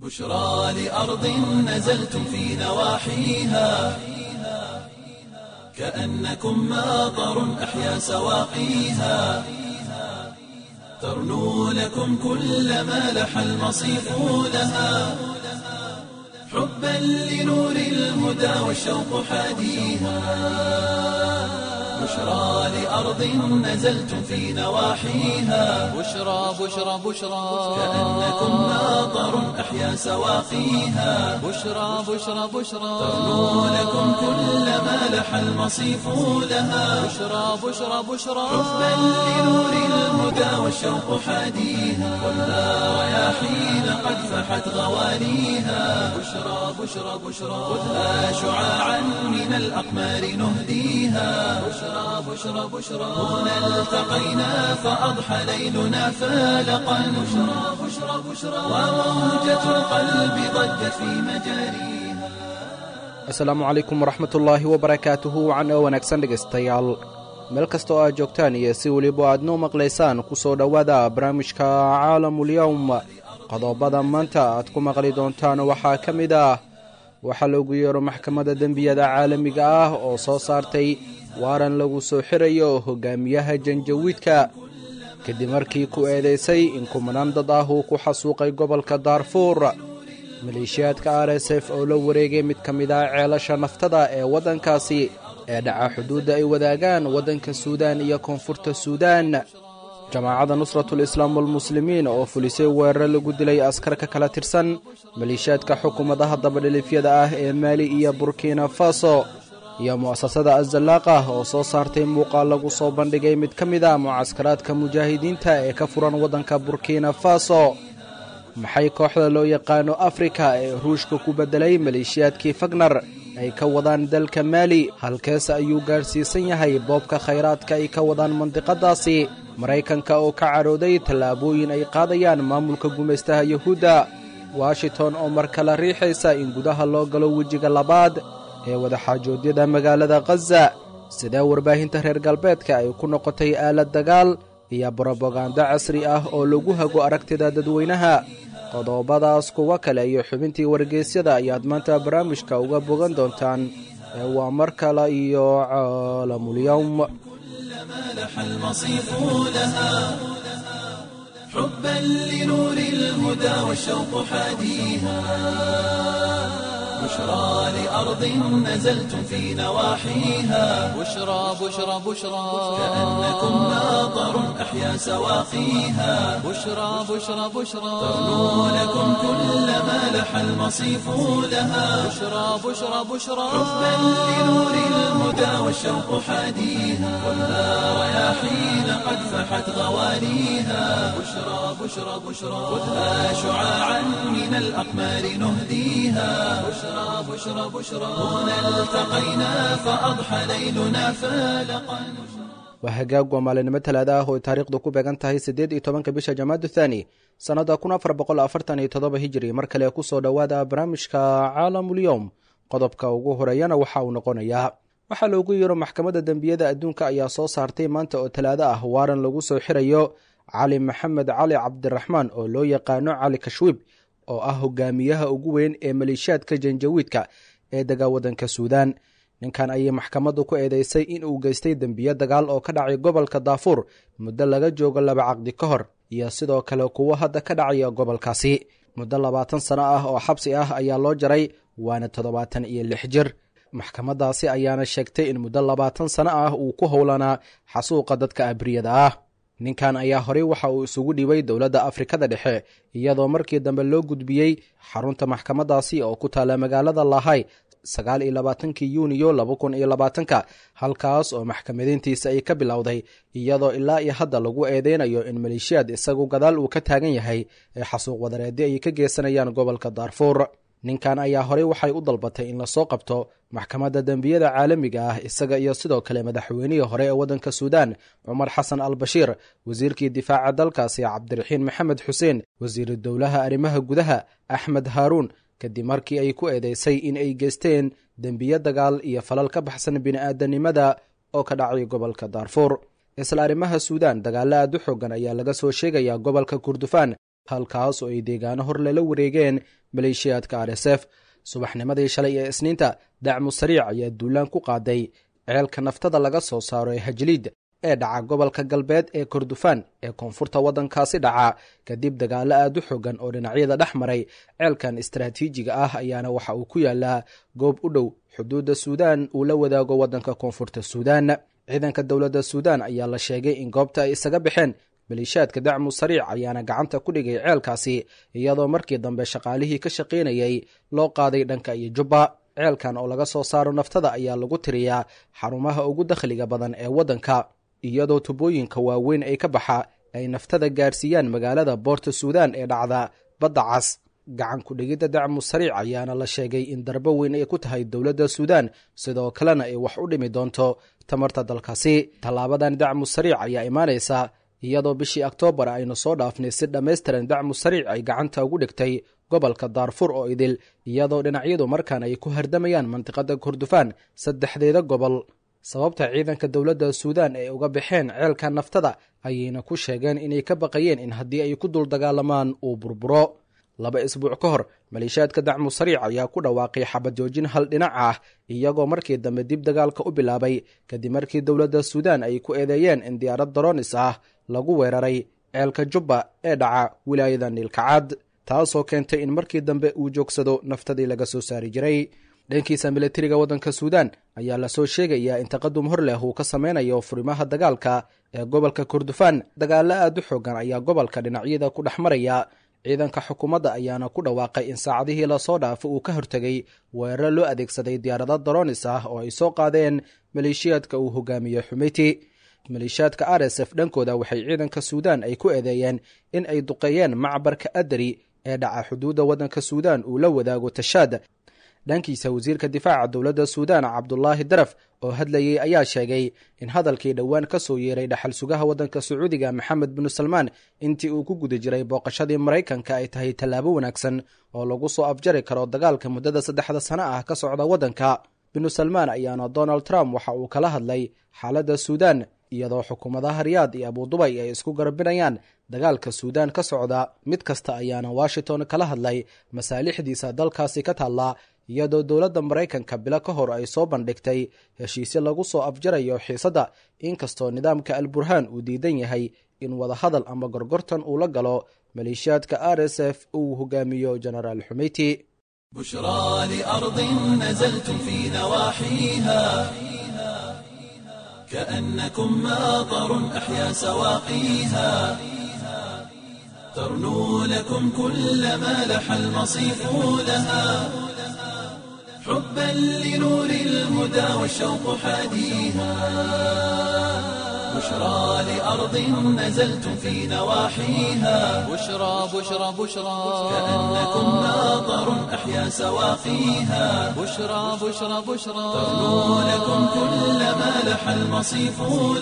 بشرى لأرض نزلتم في نواحيها، كأنكم ماطر أحيا سواقيها، ترنو لكم كل ما لح المصيف لها، حبا لنور الهدى والشوق حاديها. بشرى لأرض نزلتم في نواحيها، بشرى بشرى بشرى، كأنكم ماطر أحيا سواقيها، بشرى بشرى بشرى، ترنو لكم كل ما لح المصيف لها، بشرى بشرى بشرى، حبا لنور الهدى والشوق حاديها. والنار رياحين قد فحت غواليها، بشرى بشرى بشرى، خذها شعاعا من الأقمار نهديها. بشرى بشرى بشرى، هنا التقينا فأضحى ليلنا فالقا. بشرى بشرى بشرى، وموجة القلب ضجت في مجاريها. Asalaamu calaykum waraxmatullaahi wabarakaatuhu. Wacan oo wanaagsan dhegaystayaal, meel kasta oo aad joogtaan iyo si weliba aad noo maqlaysaan, ku soo dhowaada barnaamijka Caalamulyowm. Qodobada maanta aad ku maqli doontaan waxaa ka mid ah: waxaa loogu yeero Maxkamadda Dembiyada Caalamiga ah oo soo saartay waaran lagu soo xirayo hogaamiyaha Janjawiidka, kadib markii ku eedaysay in kumanaan dad ah uu ku xasuuqay gobolka Daarfuur. Maleeshiyaadka RSF oo la wareegay mid ka mid ah ceelasha naftada ee waddankaasi ee dhaca xuduudda ay wadaagaan waddanka Suudaan iyo Koonfurta Suudaan. Jamaacadda Nusratul Islaam walmuslimiin oo fulisay weeraro lagu dilay askar ka kala tirsan maleeshiyaadka xukuumadaha dabadhilifyada ah ee Maali iyo Burkina Faso, iyo mu'asasada Azallaaqa oo soo saartay muuqaal lagu soo bandhigay mid ka mid ah mucaskaraadka mujaahidiinta ee ka furan waddanka Burkina Faso. Maxay kooxda loo yaqaano Afrika ee Ruushka ku beddelay maleeshiyaadkii Fagnar ay ka wadaan dalka Maali? Halkeese ayuu gaadhsiisan yahay boobka khayraadka ay ka wadaan mandiqadaasi? Maraykanka oo ka cadhooday tallaabooyin ay qaadayaan maamulka gumaystaha Yuhuudda. Washington oo mar kale riixaysa in gudaha loo galo wejiga labaad ee wadaxaajoodyada magaalada Khaza. Sidee warbaahinta reer galbeedka ay ku noqotay aalad dagaal iyo brobagando casri ah oo lagu hago aragtida dadweynaha? Qodobadaas, kuwo kale iyo xubintii wargeysyada ayaad maanta barnaamijka uga bogan doontaan. Ee waa mar kale iyo Caalamulyowm. ما لح المصيف لها، حبا لنور الهدى والشوق حاديها. بشرى لأرض نزلتم في نواحيها، بشرى بشرى بشرى، كأنكم ماطر أحيا سواقيها، بشرى بشرى بشرى، ترنو لكم كل ما لح المصيف لها، بشرى بشرى بشرى، حبا لنور الهدى والشوق حاديها. والنار رياحين قد فحت غواليها، بشرى بشرى بشرى، خذها شعاعا من الأقمار نهديها. بشرى بشرى بشرى، هنا التقينا فأضحى ليلنا فالقا. Waa hagaag, waa maalinimo Talaada ah oo ay taariikhdu ku beegan tahay 18-ka bisha Jamaadu Thaani, sannadda 1447 Hijiri. Mar kale ku soo dhowaada barnaamijka Caalamulyowm. Qodobka ugu horeeyana waxa uu noqonayaa: waxaa loogu yeero Maxkamadda Dembiyada Adduunka ayaa soo saartay maanta oo Talaado ah waaran lagu soo xirayo Cali Maxamed Cali Cabdiraxmaan oo loo yaqaano Cali Kashwiib, oo ah hogaamiyaha ugu weyn ee maleeshiyaadka Janjawiidka ee dega waddanka Suudaan. Ninkan ayay maxkamaddu ku eedeysay in uu geystay dembiyo dagaal oo ka dhacay gobolka Daafuur muddo laga joogo 2 caqdi ka hor, iyo sidoo kale kuwo hadda ka dhacaya gobolkaasi. Muddo 20 sano ah oo xabsi ah ayaa loo jaray, waana 76 jir. Maxkamaddaasi ayaana sheegtay in muddo 20 sano ah uu ku howlanaa xasuuqa dadka abriyada ah. Ninkan ayaa horey waxa uu isugu dhibay dowladda Afrikada Dhexe, iyadoo markii dambe loo gudbiyey xarunta maxkamaddaasi oo ku taala magaalada Lahay 29-kii Yuuniyo 2020-ka, halkaas oo maxkamadayntiisa ay ka bilowday, iyadoo ilaa iyo hadda lagu eedeynayo in maleeshiyaad isagu gadaal uu ka taagan yahay ee xasuuq wadareedyo ay ka geysanayaan gobolka Daarfuur. Ninkan ayaa horey waxay u dalbatay in lasoo qabto Maxkamadda Dembiyada Caalamiga ah, isaga iyo sidoo kale madaxweynihii hore ee waddanka Suudaan Cumar Xasan al Bashiir, wasiirkii difaaca dalkaasi Cabdiraxiin Maxamed Xuseen, wasiiru dowlaha arrimaha gudaha Axmed Haaruun, kadib markii ay ku eedeysay in ay geysteen dembiyo dagaal iyo falal ka baxsan bini'aadanimada oo ka dhacay gobolka Daarfuur. Isla arrimaha Suudaan, dagaalo aad u xoogan ayaa laga soo sheegayaa gobolka Kurdufaan, halkaas oo ay deegaano hor lala wareegeen maleeshiyaadka r s f. Subaxnimadii shalay ee Isniinta, Dacmu Sariic ayaa duulaan ku qaaday ceelka naftada laga soo saaro ee Hajliid ee dhaca gobolka galbeed ee Kordofaan ee koonfurta waddankaasi dhaca, kadib dagaalo aad u xoogan oo dhinacyada dhex maray. Ceelkan istaraatiijiga ah ayaana waxa uu ku yaalaa goob u dhow xuduudda Suudaan uu la wadaago waddanka Koonfurta Suudaan. Ciidanka dowladda Suudaan ayaa la sheegay in goobta ay isaga baxeen. Maleeshiyaadka Dacmu Sariic ayaana gacanta ku dhigay ceelkaasi, iyadoo markii dambe shaqaalihii ka shaqaynayay loo qaaday dhanka iyo Jubba. Ceelkan oo laga soo saaro naftada ayaa lagu tiriyaa xarumaha ugu dakhliga badan ee waddanka, iyadoo tubooyinka waaweyn ay ka baxa ay naftada gaarsiiyaan magaalada Boorta Suudaan ee dhacda Badda Cas. Gacan ku-dhigidda Dacmu Sariic ayaana la sheegay in darbo weyn ay ku tahay dowladda Suudaan, sidoo kalena ay wax u dhimi doonto tamarta dalkaasi. Tallaabadan Dacmu Sariic ayaa imaanaysa iyadoo bishii Oktoobar aynu soo dhaafnay si dhammaystiran Dacmu Sariic ay gacanta ugu dhigtay gobolka Daarfur oo idil, iyadoo dhinacyadu markaan ay ku hardamayaan mantiqada Kordofaan saddexdeeda gobol. Sababta ciidanka dowladda Suudaan ay uga baxeen ceelka naftada ayayna ku sheegeen inay ka baqayeen in haddii ay ku dul dagaalamaan uu burburo. 2 isbuuc ka hor, maleeshiyaadka Dacmu Sariic ayaa ku dhawaaqay xabad joojin hal dhinac ah, iyagoo markii dambe dib dagaalka u bilaabay kadib markii dowladda Suudaan ay ku eedeeyeen in diyaarad daroonis ah lagu weeraray ceelka Jubba ee dhaca wilaayada Niilkacad, taasoo keentay in markii dambe uu joogsado naftadii laga soo saari jiray. Dhankiisa, militariga waddanka Suudaan ayaa lasoo sheegayaa in taqadum hor leh uu ka sameynayo furimaha dagaalka ee gobolka Kordofaan. Dagaalo aad u xoogan ayaa gobolka dhinacyada ku dhex maraya. Ciidanka xukuumadda ayaana ku dhawaaqay in saacadihii lasoo dhaafo uu ka hortegay weeraro loo adeegsaday diyaarado daroonis ah oo ay soo qaadeen maleeshiyaadka uu hogaamiye Xumeyti. Maleeshiyaadka r s f dhankooda waxay ciidanka Suudaan ay ku eedeeyeen in ay duqeeyeen macbarka Adari ee dhaca xuduudda waddanka Suudaan uu la wadaago Tashaad. Dhankiisa, wasiirka difaaca dowladda Suudaan Cabdulaahi Daraf oo hadlayey ayaa sheegay in hadalkii dhowaan ka soo yeeray dhaxal sugaha waddanka Sacuudiga Maxamed binu Salmaan intii uu ku guda jiray booqashadii Maraykanka ay tahay tallaabo wanaagsan oo lagu soo afjari karo dagaalka muddada 3da sano ah ka socda waddanka. Binu Salmaan ayaana Donald Trump waxa uu kala hadlay xaaladda Suudaan, iyadoo xukuumadaha Riyaad iyo Abudubay ay isku garabinayaan dagaalka Suudaan ka socda. Mid kasta ayaana Washington kala hadlay masaalixdiisa dalkaasi ka taalla, iyadoo dowladda Maraykanka bilo ka hor ay soo bandhigtay heshiisyo lagu soo afjarayo xiisadda, inkastoo nidaamka Al Burhaan uu diidan yahay in wadahadal ama gorgortan uu la galo maleeshiyaadka r s f uu hogaamiyo Jenaraal Xumeyti. بشرى لأرض نزلتم في نواحيها كأنكم ماطر أحيا سواقيها، ترنو لكم كل ما لح المصيف لها، حبا لنور الهدى والشوق حاديها. بشرى لأرض نزلتم في نواحيها، بشرى بشرى بشرى، كأنكم ماطر أحيا سواقيها، بشرى بشرى بشرى، ترنو لكم كل ما لح المصيف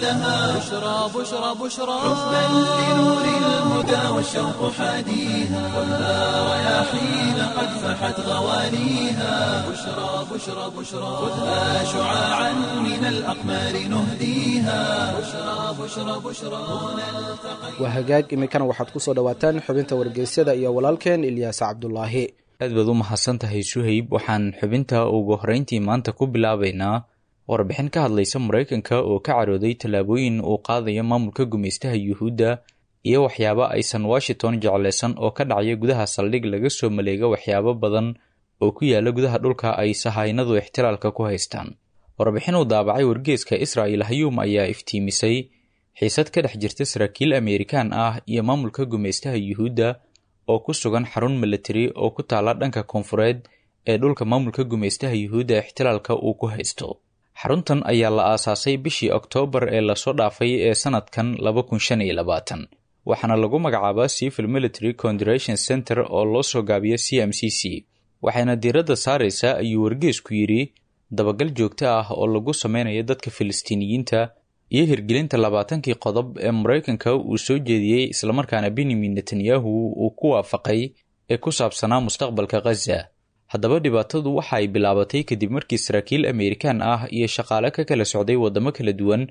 لها، بشرى بشرى بشرى، حبا لنور الهدى والشوق حاديها. خذها رياحين قد فحت غواليها، بشرى بشرى بشرى، خذها شعاعا من الأقمار نهديها. بشرى بشرى بشرى، هنا التقينا. Waa hagaag, iminkana waxaad ku soo dhowaataan xubinta wargeysyada iyo walaalkeen Ilyaas Cabdulaahi. Aad baad u mahadsan tahay Suhayb. Waxaan xubinta ugu horreyntii maanta ku bilaabaynaa warbixin ka hadlaysa Maraykanka oo ka carooday tallaabooyin uu qaadayo maamulka gumaystaha Yuhuudda iyo waxyaabo aysan Washington jeclaysan oo ka dhacaya gudaha saldhig laga soo maleega waxyaabo badan oo ku yaala gudaha dhulka ay sahaynadu ixtilaalka ku haystaan. Warbixin uu daabacay wargeeska Israa'il Hayuum ayaa iftiimisay xiisad ka dhex jirta saraakiil Ameerikaan ah iyo maamulka gumaystaha Yuhuudda oo ku sugan xarun militari oo ku taala dhanka koonfureed ee dhulka maamulka gumaystaha Yuhuudda ixtilaalka uu ku haysto. Xaruntan ayaa la aasaasay bishii Oktoobar ee lasoo dhaafay ee sanadkan 2025, waxaana lagu magacaabaa Civil Military Coordination Center oo loo soo gaabiyo CMCC, waxayna diiradda saaraysaa, ayuu wargeesku yidhi, dabagal joogto ah oo lagu sameynayo dadka Filistiiniyiinta iyo hirgelinta 20kii qodob ee Maraykanka uu soo jeediyey, islamarkaana Benyamin Netanyahu uu ku waafaqay, ee ku saabsanaa mustaqbalka Khaza. Haddaba dhibaatadu waxa ay bilaabatay kadib markii saraakiil Ameerikaan ah iyo shaqaale ka kala socday waddamo kala duwan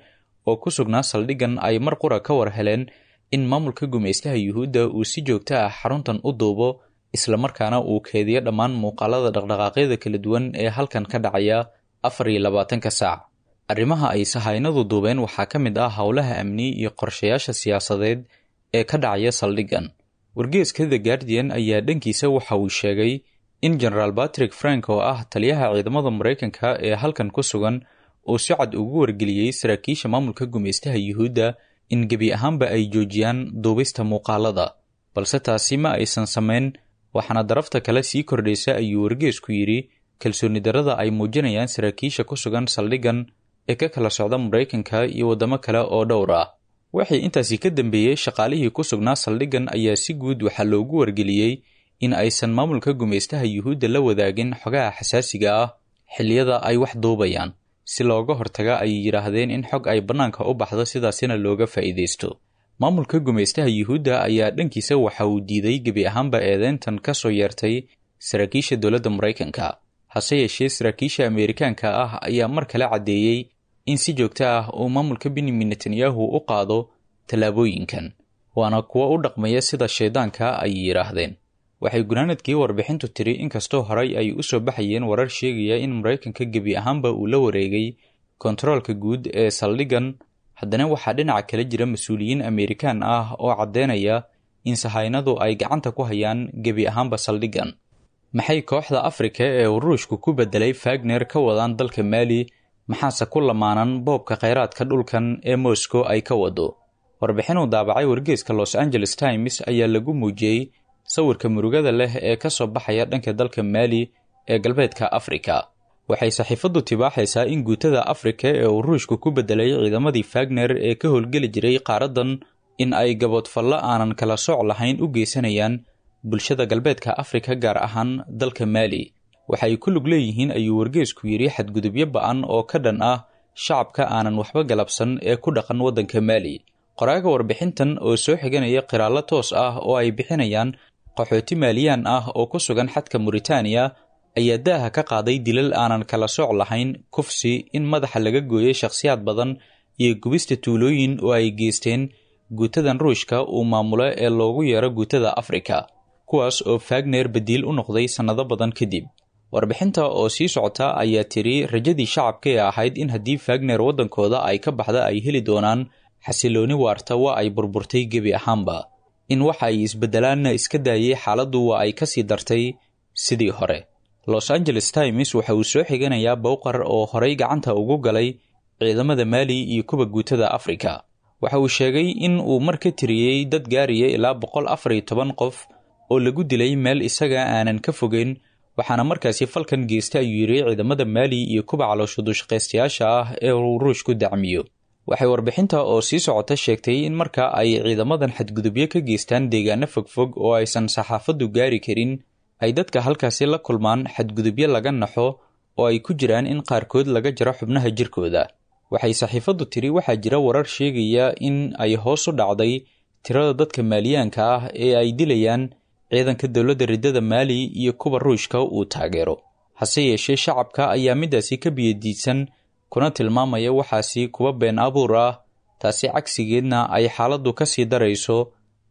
oo ku sugnaa saldhiggan ay mar qura ka war heleen in maamulka gumaystaha Yuhuudda uu si joogto ah xaruntan u duubo, islamarkaana uu keediyo dhammaan muuqaalada dhaqdhaqaaqyada kala duwan ee halkan ka dhacaya 24-ka saac. Arrimaha ay sahaynadu duubeen waxaa ka mid ah howlaha amni iyo qorshayaasha siyaasadeed ee ka dhacaya saldhiggan. Wargeeska The Guardian ayaa dhankiisa waxa uu sheegay in Genaraal Patrick Frank oo ah taliyaha ciidamada Maraykanka ee halkan ku sugan uu si cad ugu wargeliyey saraakiisha maamulka gumaystaha Yuhuudda in gebi ahaanba ay joojiyaan duubista muuqaalada, balse taasi ma aysan samayn, waxaana darafta kale sii kordhaysa ayuu wargeesku yidhi kalsooni darrada ay muujinayaan saraakiisha ku sugan saldhiggan ee ka kala socda Maraykanka iyo waddamo kale oo dhowr ah. Waxay intaasi ka dambeeyey shaqaalihii ku sugnaa saldhiggan ayaa si guud waxaa loogu wargeliyey in aysan maamulka gumaystaha Yuhuudda la wadaagin xogaha xasaasiga ah xilliyada ay wax duubayaan, si looga hortaga ay yidhaahdeen in xog ay bannaanka u baxdo, sidaasina looga faa'iidaysto. Maamulka gumaystaha Yuhuudda ayaa dhankiisa waxa uu diiday gebi ahaanba eedeyntan ka soo yeertay saraakiisha dowladda Maraykanka. Hase yeeshee saraakiisha Ameerikaanka ah ayaa mar kale caddeeyey in si joogto ah uu maamulka Benyamin Netanyahu u qaado tallaabooyinkan, waana kuwo u dhaqmaya sida shaydaanka ay yidhaahdeen. Waxay gunaanadkii warbixintu tiri inkastoo horay ay u soo baxayeen warar sheegaya in Maraykanka gebi ahaanba uu la wareegay kontaroolka guud ee saldhiggan, haddana waxaa dhinaca kale jira mas-uuliyiin Ameerikaan ah oo caddeynaya in sahaynadu ay gacanta ku hayaan gebi ahaanba saldhiggan. Maxay kooxda Afrika ee uu Ruushku ku beddelay Fagner ka wadaan dalka Maali, maxaase ku lamaanan boobka kheyraadka dhulkan ee Moscow ay ka wado? Warbixin uu daabacay wargeeska Los Angeles Times ayaa lagu muujiyey sawirka murugada leh ee ka soo baxaya dhanka dalka Maali ee galbeedka Afrika. Waxay saxiifaddu tibaaxaysaa in guutada Afrika ee uu Ruushku ku beddelay ciidamadii Fagner ee ka howlgeli jiray qaaraddan in ay gaboodfallo aanan kala sooc lahayn u geysanayaan bulshada galbeedka Afrika, gaar ahaan dalka Maali. Waxay ku lug leeyihiin ayuu wargeesku yidhi xadgudubyo ba'an oo ka dhan ah shacabka aanan waxba galabsan ee ku dhaqan waddanka Maali. Qoraaga warbixintan oo soo xiganaya qiraallo toos ah oo ay bixinayaan qaxooti Maaliyaan ah oo ku sugan xadka Muritaaniya ayaa daaha ka qaaday dilal aanan kala sooc lahayn, kufsi, in madaxa laga gooyay shakhsiyaad badan iyo gubista tuulooyin oo ay geysteen guutadan Ruushka uu maamulo ee loogu yeero guutada Afrika, kuwaas oo Fagner badiil u noqday sannado badan kadib. Warbixinta oo sii socota ayaa tiri rajadii shacabka ee ahayd in haddii Fagner waddankooda ay ka baxda ay heli doonaan xasilooni waarta waa ay burburtay gebi ahaanba. In waxa ay isbeddelaanna iska daayay, xaaladdu waa ay ka sii dartay sidii hore. Los Angeles Times waxa uu soo xiganayaa Bowqar oo horay gacanta ugu galay ciidamada Maali iyo kuwa guutada Afrika. Waxa uu sheegay in uu mar ka tiriyey dad gaaraya ilaa 114 qof oo lagu dilay meel isaga aanan ka fogeyn, waxaana markaasi falkan geysta ayuu yidhi ciidamada Maali iyo kuwa caloosha dushaqaystayaasha ah ee uu Ruushku dacmiyo. Waxay warbixinta oo sii socota sheegtay in marka ay ciidamadan xadgudubyo ka geystaan deegaano fogfog oo aysan saxaafaddu gaari karin, ay dadka halkaasi la kulmaan xadgudubyo laga naxo oo ay ku jiraan in qaarkood laga jaro xubnaha jirkooda. Waxay saxiifaddu tiri waxaa jira warar sheegaya in ay hoos u dhacday tirada dadka Maaliyaanka ah ee ay dilayaan ciidanka dowladda riddada Maali iyo kuwa Ruushka uu taageero. Hase yeeshee shacabka ayaa midaasi ka biyadiidsan kuna tilmaamaya waxaasi kuwa been abuur ah, taasi cagsigeedna ay xaaladdu ka sii darayso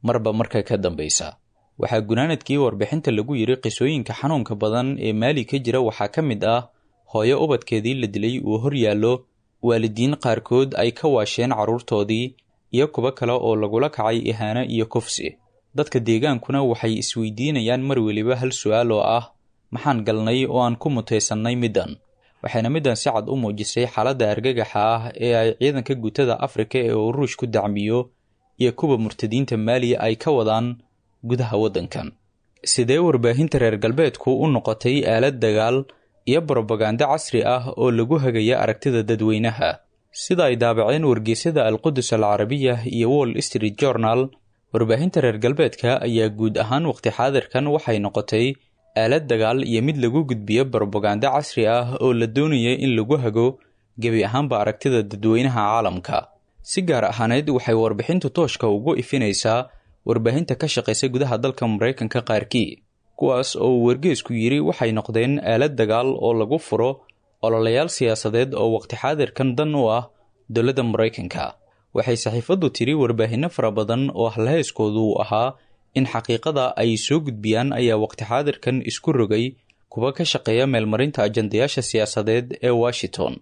marba marka ka dambaysa. Waxaa gunaanadkii warbixinta lagu yidhi qisooyinka xanuunka badan ee Maali ka jira waxaa ka mid ah hooyo ubadkeedii la dilay uu hor yaallo, waalidiin qaarkood ay ka waasheen carruurtoodii, iyo kuwo kale oo lagula kacay ihaano iyo kufsi. Dadka deegaankuna waxay isweydiinayaan mar weliba hal su'aal oo ah maxaan galnay oo aan ku mutaysannay middan? Waxayna middan si cad u muujisay xaaladda argagaxa ah ee ay ciidanka guutada Afrika ee uu Ruushku dacmiyo iyo kuwa murtadiinta Maali ay ka wadaan gudaha waddankan. Sidee warbaahinta reer galbeedku u noqotay aalad dagaal iyo brobagando casri ah oo lagu hagaya aragtida dadweynaha? Sida ay daabaceen wargeysyada Alqudus Alcarabiya iyo Wall Street Journal, warbaahinta reer galbeedka ayaa guud ahaan waqti xaadirkan waxay noqotay aalad dagaal iyo mid lagu gudbiyo brobagando casri ah oo la doonaya in lagu hago gebi ahaanba aragtida dadweynaha caalamka. Si gaar ahaaneed waxay warbixintu tooshka ugu ifinaysaa warbaahinta ka shaqaysa gudaha dalka Maraykanka qaarkii, kuwaas oo uu wargeysku yidhi waxay noqdeen aalad dagaal oo lagu furo ololayaal siyaasadeed oo waqti xaadirkan dan u ah dowladda Maraykanka. Waxay saxiifaddu tiri warbaahinno fara badan oo halhayskoodu uu ahaa in xaqiiqada ay soo gudbiyaan ayaa waqti xaadirkan isku rogay kuwa ka shaqeeya meelmarinta ajandayaasha siyaasadeed ee Washington.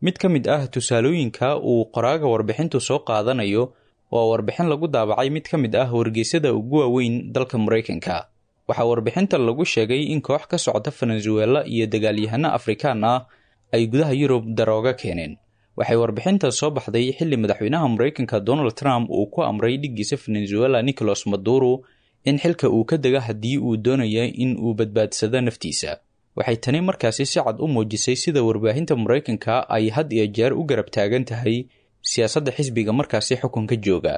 Mid ka mid ah tusaalooyinka uu qoraaga warbixintu soo qaadanayo waa warbixin lagu daabacay mid ka mid ah wargeysyada ugu waaweyn dalka Maraykanka. Waxaa warbixinta lagu sheegay in koox ka socota Venezuela iyo dagaalyahano Afrikaan ah ay gudaha Yurub darooga keeneen. Waxay warbixinta soo baxday xilli madaxweynaha Maraykanka Donald Trump uu ku amray dhiggiisa Venezuela Nicolas Maduro in xilka uu ka dega haddii uu doonayo in uu badbaadsado naftiisa. Waxay tani markaasi si cad u muujisay sida warbaahinta Maraykanka ay had iyo jeer u garab taagan tahay siyaasadda xisbiga markaasi xukunka jooga.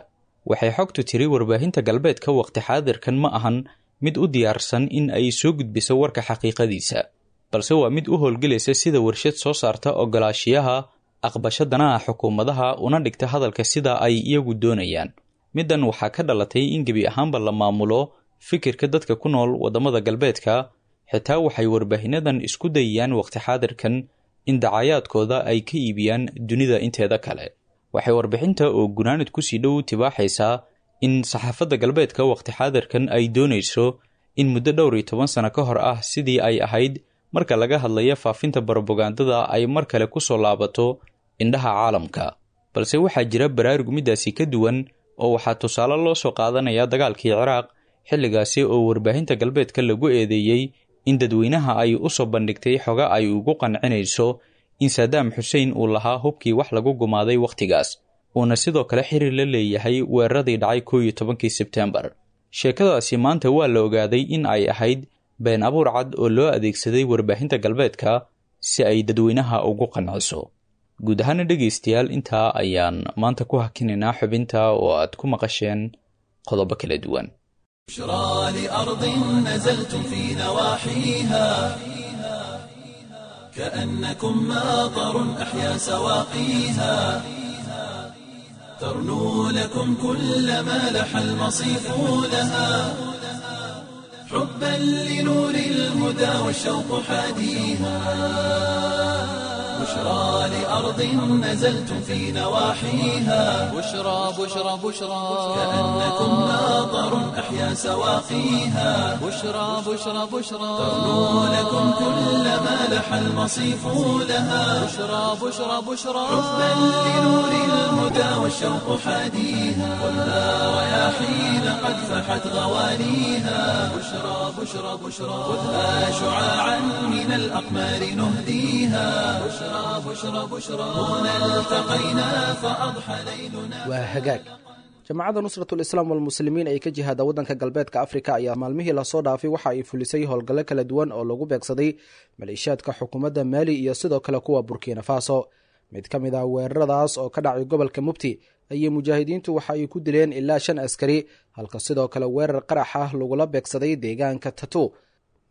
Waxay xogtu tiri warbaahinta galbeedka waqti xaadirkan ma ahan mid u diyaarsan in ay soo gudbiso warka xaqiiqadiisa, balse waa mid u howlgelaysa sida warshad soo saarta ogolaashiyaha aqbasho danaha xukuumadaha una dhigta hadalka sida ay iyagu doonayaan. Middan waxaa ka dhalatay in gebi ahaanba la maamulo fikirka dadka ku nool waddamada galbeedka. Xitaa waxay warbaahinadan isku dayayaan waqti xaadirkan in dacayaadkooda ay ka iibiyaan dunida inteeda kale. Waxay warbixinta oo gunaanid kusii dhow tibaaxaysaa in saxaafadda galbeedka waqti xaadirkan ay doonayso in muddo dhowr iyo toban sano ka hor ah sidii ay ahayd marka laga hadlayo faafinta barobagandada ay mar kale ku soo laabato indhaha caalamka. Balse waxaa jira baraarug middaasi ka duwan oo waxaa tusaale loo soo qaadanayaa dagaalkii Ciraaq, xilligaasi oo warbaahinta galbeedka lagu eedeeyey in dadweynaha ay u soo bandhigtay xoga ay ugu qancinayso in Saddam Xuseen uu lahaa hubkii wax lagu gumaaday wakhtigaas, uuna sidoo kale xiriir la leeyahay weeraradii dhacay 11kii Sebtembar. Sheekadaasi maanta waa la ogaaday in ay ahayd been abuur cad oo loo adeegsaday warbaahinta galbeedka si ay dadweynaha ugu qanciso. Guud ahaana dhegaystayaal, intaa ayaan maanta ku hakinaynaa xubinta oo aad ku maqasheen qodobo kala duwan. بشرى لأرض نزلتم في نواحيها كأنكم ماطر أحيا سواقيها ترنو لكم كل ما لح المصيف لها حبا لنور الهدى والشوق حاديها بشرى لأرض نزلتم في نواحيها بشرى بشرى بشرى كأنكم ماطر أحيا سواقيها بشرى بشرى بشرى ترنو لكم كل ما لح المصيف لها بشرى بشرى بشرى حبا لنور الهدى والشوق حاديها خذها رياحين قد فحت غوانيها بشرى بشرى بشرى خذها شعاعا من الأقمار نهديها بشرى بشرى بشرى هنا التقينا فأضحى ليلنا Waa hagaag. Jamaacadda Nusratul Islaam walmuslimiin ee ka jihaada waddanka galbeedka Afrika ayaa maalmihii lasoo dhaafay waxa ay fulisay howlgallo kala duwan oo lagu beegsaday maleeshiyaadka xukuumadda Maali iyo sidoo kale kuwa Burkina Faso. Mid ka mid ah weeraradaas oo ka dhacay gobolka Mubti ayay mujaahidiintu waxa ay ku dileen ilaa 5 askari, halka sidoo kale weerar qarax ah lagula beegsaday deegaanka Tatu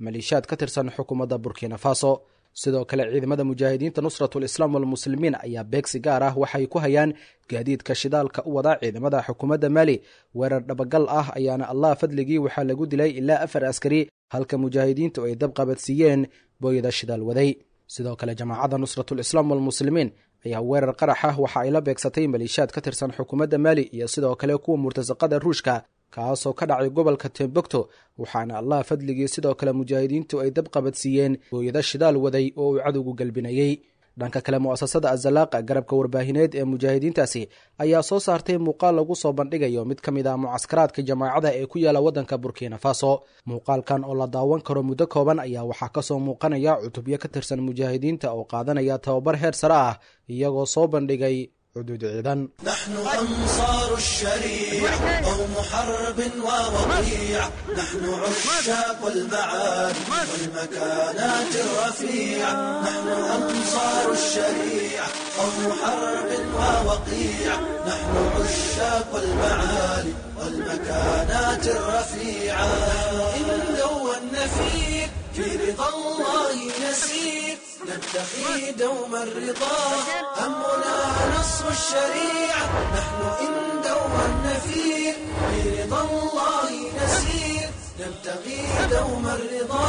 maleeshiyaad ka tirsan xukuumadda Burkina Faso. Sidoo kale ciidamada mujaahidiinta Nusratul Islaam walmuslimiin ayaa beegsi gaar ah waxay ku hayaan gaadiidka shidaalka u wada ciidamada xukuumadda Maali. Weerar dhabagal ah ayaana Allah fadligii waxaa lagu dilay ilaa 4 askari, halka mujaahidiintu ay dab qabadsiiyeen booyada shidaal waday. Sidoo kale jamaacadda Nusratul Islaam walmuslimiin ayaa weerar qarax ah waxa ay la beegsatay maleeshiyaad ka tirsan xukuumadda Maali iyo sidoo kale kuwa murtasaqada Ruushka, kaasoo ka dhacay gobolka Timbuktu, waxaana Allah fadligii sidoo kale mujaahidiintu ay dab qabadsiiyeen booyada shidaal waday oo uu cadowgu galbinayey. Dhanka kale mu'asasada Azalaaqa, garabka warbaahineed ee mujaahidiintaasi, ayaa soo saartay muuqaal lagu soo bandhigayo mid ka mid ah mucaskaraadka jamaacada ee ku yaala waddanka Burkina Faso. Muuqaalkan oo la daawan karo muddo kooban ayaa waxaa kasoo muuqanaya cutubyo ka tirsan mujaahidiinta oo qaadanaya tababar heer sare ah, iyagoo soo bandhigay cuduud ciidan. نحن أنصار الشريعة قوم حرب ووقيع، نحن عشاق المعالي والمكانات الرفيعة، نحن أنصار الشريعة قوم حرب ووقيع، نحن عشاق المعالي والمكانات الرفيعة. إن دوى النفير في رضا الله نسير، نبتغي دوم الرضا، همنا نصر الشريعة. نحن إن دوى النفير في رضا الله نسير، نبتغي دوم الرضا،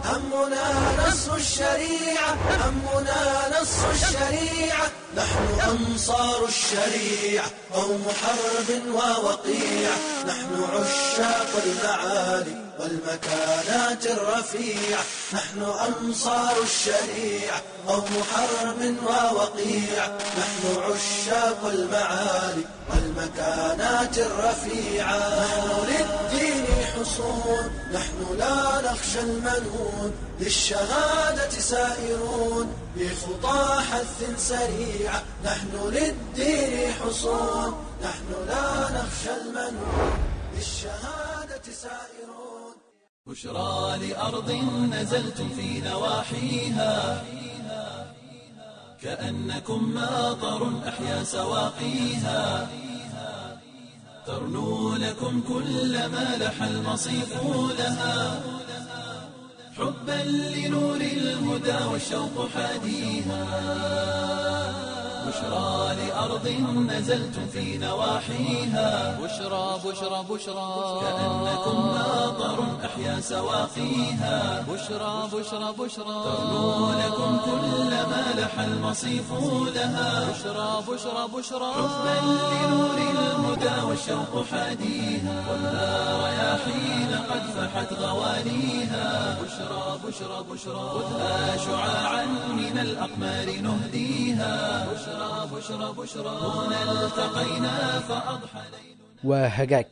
همنا نصر الشريعة، همنا نص الشريعة، نحن أنصار الشريعة، قوم حرب ووقيع، نحن عشاق المعالي والمكانات الرفيعة، نحن أنصار الشريعة، قوم حرب ووقيع، نحن عشاق المعالي والمكانات الرفيعة، نحن للدين حصون، نحن لا نخشى المنون، للشهادة سائرون، بخطى حث سريعة، نحن للدين حصون، نحن لا نخشى المنون، للشهادة سائرون. بشرى لأرض نزلتم في نواحيها كأنكم ماطر أحيا سواقيها، ترنو لكم كل ما لح المصيف لها، حبا لنور الهدى والشوق حاديها، بشرى لأرض نزلتم في نواحيها، بشرى بشرى بشرى، كأنكم ماطر أحيا سواقيها، بشرى بشرى بشرى، ترنو لكم كل ما لح المصيف لها، بشرى بشرى بشرى، حبا لنور الهدى والشوق حاديها، والنار يا حين قد فحت غوانيها، بشرى بشرى بشرى، خذها شعاعا من الأقمار نهديها، بشرى بشرى بشرى، هنا التقينا فأضحى ليل. Waa hagaag.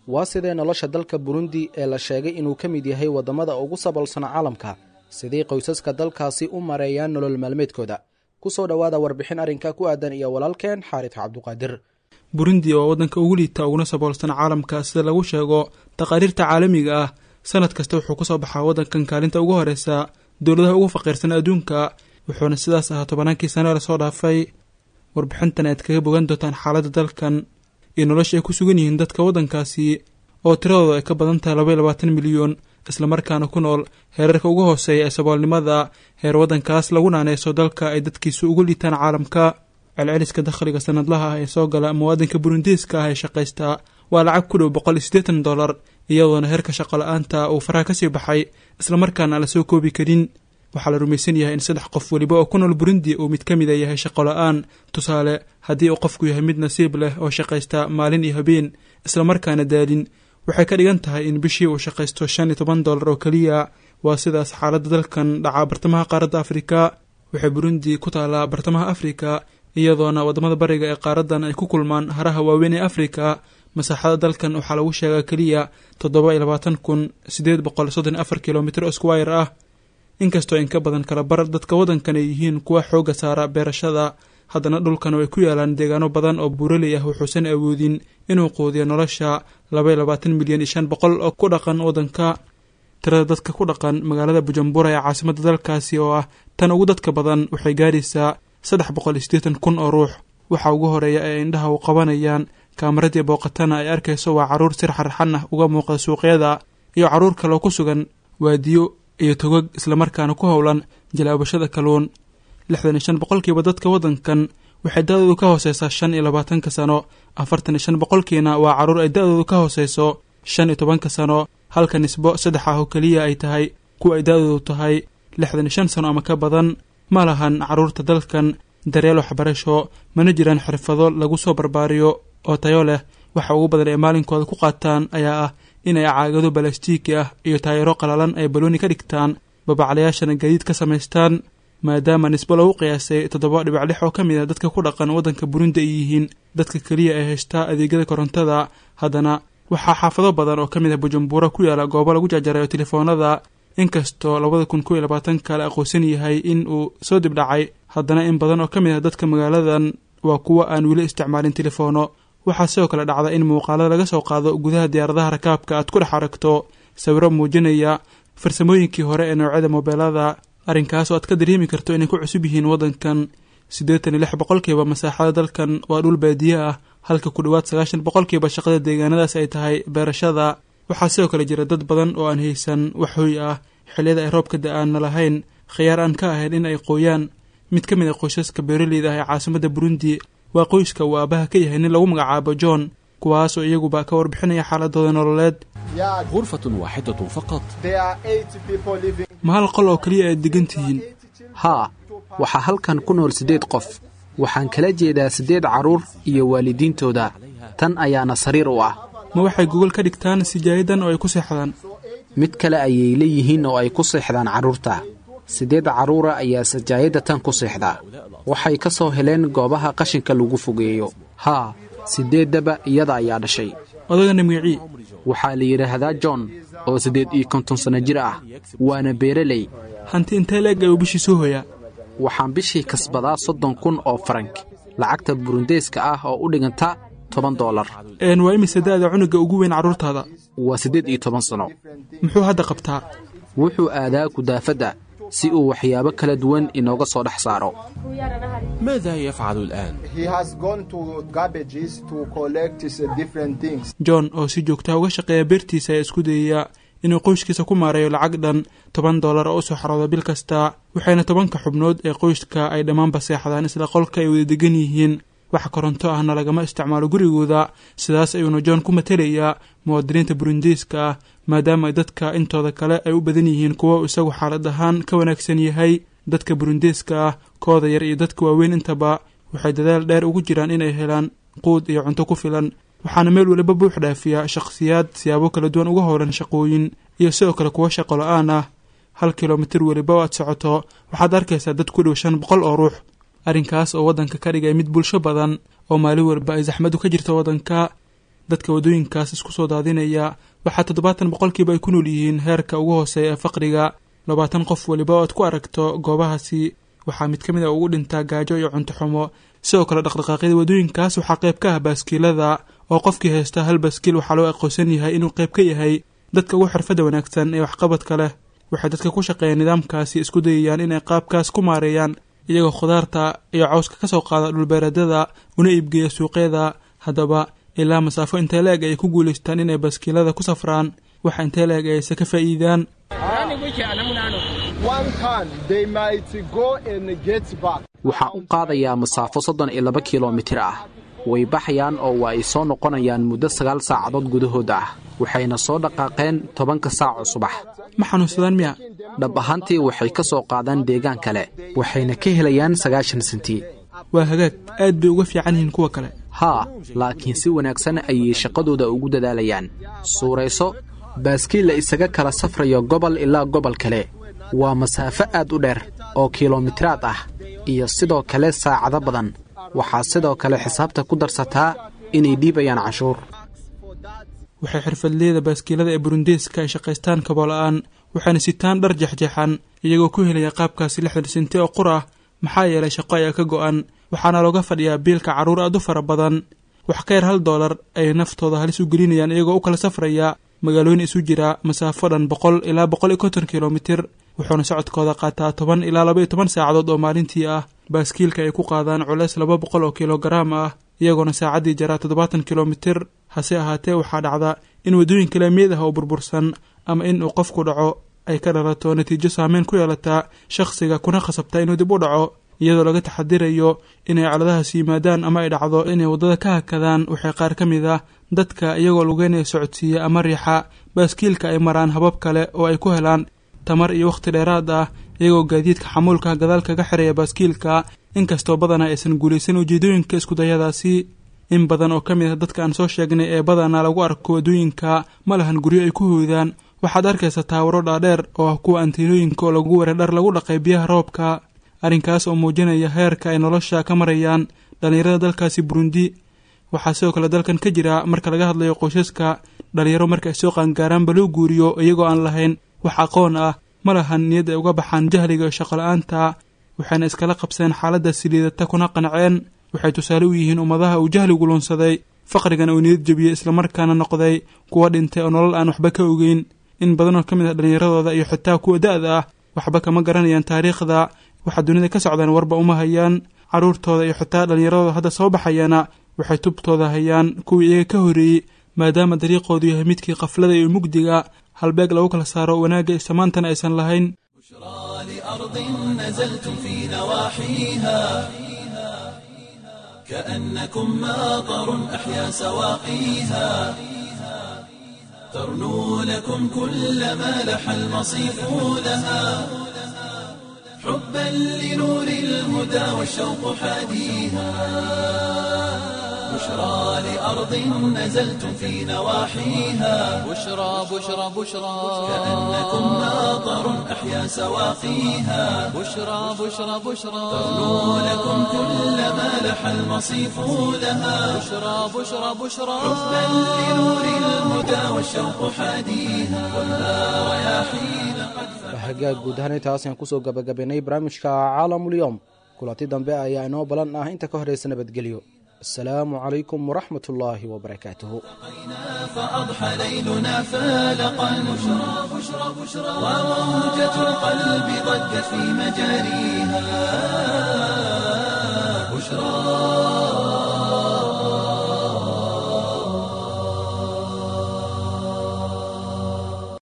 Waa sidee nolosha dalka Burundi ee la sheegay inuu ka mid yahay waddamada ugu saboolsan caalamka? Sidee qoysaska dalkaasi u mareeyaan nolol maalmeedkooda? Ku soo dhowaada warbixin arrinka ku aadan iyo walaalkeen Xaaris Cabduqaadir. Burundi waa waddanka ugu liita uguna saboolsan caalamka sida lagu sheego taqaariirta caalamiga ah. Sanad kasta wuxuu kusoo baxaa waddankan kaalinta ugu horeysa dowladaha ugu faqiirsan adduunka, wuxuuna sidaas ahaa tobannaankii sano ee lasoo dhaafay. Warbixintan aad kaga bogan doontaan xaaladda dalkan iyo nolosha ay ku sugan yihiin dadka waddankaasi oo tiradooda ay ka badan tahay 22 milyan, islamarkaana ku nool heerarka ugu hooseeya ee saboolnimada, heer waddankaas lagu naaneyso dalka ay dadkiisu ugu liitaan caalamka. Celceliska dakhliga sanadlaha ah ee soo gala muwaadinka burundiiska ah ee shaqaysta waa lacag ku dhow $180, iyadoona heerka shaqo la-aanta uu faraha kasii baxay islamarkaana aan lasoo koobi karin. Waxaa la rumaysan yahay in 3 qof weliba oo ku nool Burundi uu mid ka mida yahay shaqo la-aan. Tusaale, haddii uu qofku yahay mid nasiib leh oo shaqaysta maalin iyo habeen islamarkaana daalin, waxay ka dhigan tahay in bishii uu shaqaysto $15 oo keliya. Waa sidaas xaaladda dalkan dhacaa bartamaha qaaradda Afrika. Waxay Burundi ku taalaa bartamaha Afrika, iyadoona waddamada bariga ee qaaraddan ay ku kulmaan haraha waaweyn ee Afrika. Masaaxada dalkan waxaa lagu sheegaa keliya 27,834 kilomitr oo squire ah. Inkastoo in ka badan kala bar dadka waddankan ay yihiin kuwa xoogga saara beerashada, haddana dhulkan ay ku yaalaan deegaano badan oo buuraley ah wuxuusan awoodin inuu quudiyo nolosha 22 milyan iyo 500 oo ku dhaqan waddanka. Tirada dadka ku dhaqan magaalada Bujumbura ee caasimadda dalkaasi oo ah tan ugu dadka badan waxay gaaraysaa 380,000 oo ruux. Waxa ugu horeeya ee indhaha u qabanayaan kaamaradii booqatana ay arkayso waa carruur si raxraxan ah uga muuqda suuqyada iyo carruur kaloo ku sugan waadiyo iyo togag islamarkaana ku howlan jalaabashada kalluun. 65% dadka waddankan waxay da-doodu ka hooseysaa 25 sano, 45%kiina waa carruur ay da-doodu ka hooseyso 15 sano, halka nisbo 3 ah oo keliya ay tahay kuwa ay da-doodu tahay 65 sano ama ka badan. Ma lahan carruurta dalkan daryeel waxbarasho, mana jiraan xirfado lagu soo barbaariyo oo tayo leh. Waxa ugu badan ee maalinkooda ku qaataan ayaa ah inay caagado balastiiki ah iyo taayiro qalalan ay balooni ka dhigtaan, babaclayaashana gaadiid ka samaystaan. Maadaama nisbo lagu qiyaasay 7.6 oo ka mid ah dadka ku dhaqan waddanka Burundi ay yihiin dadka keliya ee haystaa adeegyada korontada, haddana waxaa xaafado badan oo ka mid ah Bujumbura ku yaala goobo lagu jarjarayo telefoonada. Inkastoo 2021 la aqoonsan yahay in uu soo dibdhacay, haddana in badan oo ka mid ah dadka magaaladan waa kuwa aan weli isticmaalin telefoono. Waxaa sidoo kale dhacda in muuqaalada laga soo qaado gudaha diyaaradaha rakaabka aad ku dhex aragto sawiro muujinaya farsamooyinkii hore ee noocyada moobeelada, arrinkaas oo aad ka dareemi karto inay ku cusub yihiin waddankan. 86% masaaxada dalkan waa dhul baadiye ah, halka ku dhowaad 90% shaqada deegaanadaas ay tahay beerashada. Waxaa sidoo kale jira dad badan oo aan haysan wax hoy ah, xilliyada ay roobka da-aanna lahayn khiyaar aan ka ahayn in ay qooyaan. Mid ka mid a qoysaska beeraleyda ah ee caasimadda Burundi waa qoyska uu aabaha ka yahay nin lagu magacaabo John, kuwaas oo iyaguba ka warbixinaya xaaladooda nololeed. غرفة واحدة فقط. Ma hal qol oo keliya aad degan tihiin? Haa, waxaa halkan ku nool 8 qof. Waxaan kala jeedaa 8 carruur iyo waalidiintooda. Tan ayaana sariir u ah. Ma waxay gogol ka dhigtaan sijaayadan oo ay ku seexdaan? Mid kale ayay leeyihiin oo ay ku seexdaan carruurta. 8 carruura ayaa sajaayadda tan ku seexda. Waxay ka soo heleen goobaha qashinka lagu fogeeyo. Haa, 8daba iyada ayaa dhashay. Odagana magacii? Waxaa la yidhaahdaa John oo 58 sanno jir ah, waana beeraley. Hanti intee leeg ayuu bishii soo hoyaa? Waxaan bishii kasbadaa 30,000 oo farank, lacagta burundeeska ah oo u dhiganta $10. Waa imise da'da cunuga ugu weyn carruurtaada? Waa 18 sano. Muxuu hadda qabtaa? Wuxuu aadaa kudaafadda si uu waxyaabo kala duwan inooga soo dhex saaro. ماذا يفعل الآن؟ John oo si joogtaa uga shaqeeya beertiisa ayaa isku dayaya inuu qoyskiisa ku maareeyo lacag dhan $10 oo u soo xarooda bil kasta, waxayna 10ka xubnood ee qoyska ay dhammaanba seexdaan isla qolka ay wada degan yihiin. Wax koronto ahna lagama isticmaalo gurigooda. Sidaas ayuuna John ku matelayaa muwaadiniinta burundiiska ah, maadaama ay dadka intooda kale ay u badan yihiin kuwa isagu xaalad ahaan ka wanaagsan yahay. Dadka burundiiska ah, kooda yar iyo dadka waaweyn intaba, waxay dadaal dheer ugu jiraan inay helaan quud iyo cunto ku filan, waxaana meel waliba buux dhaafiya shakhsiyaad siyaabo kala duwan uga howlan shaqooyin iyo sidoo kale kuwo shaqo la-aan ah. 1 kilomitir weliba oo aad socoto waxaad arkaysaa dad ku dhow 500 oo ruux, arrinkaas oo waddanka ka dhigay mid bulsho badan oo maalin walba ay saxmadu ka jirto waddanka. Dadka waddooyinkaas isku soo daadinaya waxaa 70% ay ku nool yihiin heerka ugu hooseeya ee faqriga. 20 qof weliba oo aad ku aragto goobahaasi waxaa mid ka mid a ugu dhintaa gaajo iyo cunto xumo. Sidoo kale dhaqdhaqaaqyada waddooyinkaas waxaa qayb ka ah baaskiilada, oo qofkii haysta hal baaskiil waxaa loo aqoonsan yahay inuu qayb ka yahay dadka ugu xirfadda wanaagsan ee waxqabadka leh. Waxay dadka ku shaqeeya nidaamkaasi isku dayayaan inay qaabkaas ku maareeyaan, iyagoo khudaarta iyo cawska ka soo qaada dhulbeereedyada una iibgeeya suuqyada. Haddaba ilaa masaafo intee la-eg ay ku guulaystaan inay baaskiilada ku safraan, waxa intee la-eg ayse ka faa'iidaan? Waxaan u qaadayaa masaafo 32 kilomitir ah. Way baxayaan oo waa ay soo noqonayaan muddo 9 saacadood gudahood ah, waxayna soo dhaqaaqeen 10-ka saac oo subax. Ma xanuunsadaan miya? Dhab ahaantii waxay ka soo qaadaan deegaan kale, waxayna ka helayaan 90 senti. Waa hagaag, aad bay uga fiican yihiin kuwa kale. Haa, laakiin si wanaagsan ayay shaqadooda ugu dadaalayaan. Suurayso baaskiil la isaga kala safrayo gobol ilaa gobol kale. Waa masaafo aad u dheer oo kilomitiraad ah iyo sidoo kale saacado badan. Waxaa sidoo kale xisaabta ku darsataa inay dhiibayaan canshuur. Waxay xirfadleyda baaskiilada ee burundiiska ay shaqaystaan kaboola'aan, waxayna sitaan dhar jexjeexan, iyagoo ku helaya qaabkaasi 60 senti oo qur ah, maxaa yeelay shaqo ayaa ka go'an, waxaana looga fadhiyaa biilka carruur aad u fara badan. Wax ka yar $1 ayay naftooda halis u gelinayaan iyagoo u kala safraya magaalooyin isu jira masaafo dhan 100 ilaa 150 kilomitir, wuxuuna socodkooda qaataa 10 ilaa 12 saacadood oo maalintii ah. Baaskiilka ay ku qaadaan culeys 200 oo kilogaraam ah, iyagoona saacaddii jaraa 70 kilomitir. Hase ahaatee waxaa dhacda in waddooyinka laamiyad ah oo burbursan ama in uu qofku dhaco ay ka dhalato natiijo saameyn ku yeelataa shakhsiga, kuna khasabta inuu dib u dhaco, iyadoo laga taxadirayo inay coladahaas yimaadaan ama ay dhacdo inay waddada ka hakadaan. Waxay qaar ka mid ah dadka iyagoo lugeynaya socodsiiya ama riixa baaskiilka ay maraan habab kale oo ay ku helaan tamar iyo wakhti dheeraad ah, iyagoo gaadiidka xamuulka gadaal kaga xiraya baaskiilka, inkastoo badanaa aysan guulaysan ujeedooyinka iskudayadaasi. In badan oo ka mid ah dadka aan soo sheegnay ee badanaa lagu arko waddooyinka ma lahan guryo ay ku hoydaan. Waxaad arkaysaa taawaro dhaadheer oo ah kuwa antiinooyinka oo lagu waray dhar lagu dhaqay biyaha roobka, arrinkaas oo muujinaya heerka ay nolosha ka marayaan dhallinyarada dalkaasi Burundi. Waxaa sidoo kale dalkan ka jira marka laga hadlayo qoysaska dhalinyaro marka ay soo qaangaaraanba loo guuriyo iyagoo aan lahayn wax aqoon ah, ma lahan niyad ay uga baxaan jahliga iyo shaqo la-aanta, waxayna iskala qabseen xaaladda siliidata kuna qanceen. Waxay tusaale u yihiin ummadaha uu jahligu lunsaday, faqrigana uu niyad jebiyey, islamarkaana noqday kuwa dhintay oo nolol aan waxba ka ogeyn. In badan oo ka mid ah dhallinyaradooda iyo xitaa kuwa da-da ah waxba kama garanayaan taariikhda, waxa dunida ka socdaan warba uma hayaan. Carruurtooda iyo xitaa dhallinyaradooda hadda soo baxayana waxay tubtooda hayaan kuwii iyaga ka horreeyey, maadaama dariiqoodu yahay midkii qaflada iyo mugdiga, halbeeg lagu kala saaro wanaagga iyo samaantana aysan lahayn. لأرض نزلتم في نواحيها كأنكم ماطر أحيا سواقيها. ترنو لكم كل ما لح المصيف لها، حبا لنور الهدى والشوق حاديها، بشرى لأرض نزلتم في نواحيها، بشرى بشرى بشرى، كأنكم ماطر أحيا سواقيها، بشرى بشرى بشرى، ترنو لكم كل ما لح المصيف لها، بشرى بشرى بشرى، حبا لنور الهدى والشوق حاديها، والنار يا حين قد Hagaag, guud ahaan intaas ayaan kusoo gabagabaynay barnaamijka Caalamulyoom. Kulanti dambe ayaa inoo balan ah, inta ka horeysa nabadgelyo. Asalaamu calaykum waraxmat ullaahi wabarakaatuhu. فأضحى ليلنا فالقا، بشرى بشرى بشرى، وموجة القلب ضجت في مجاريها.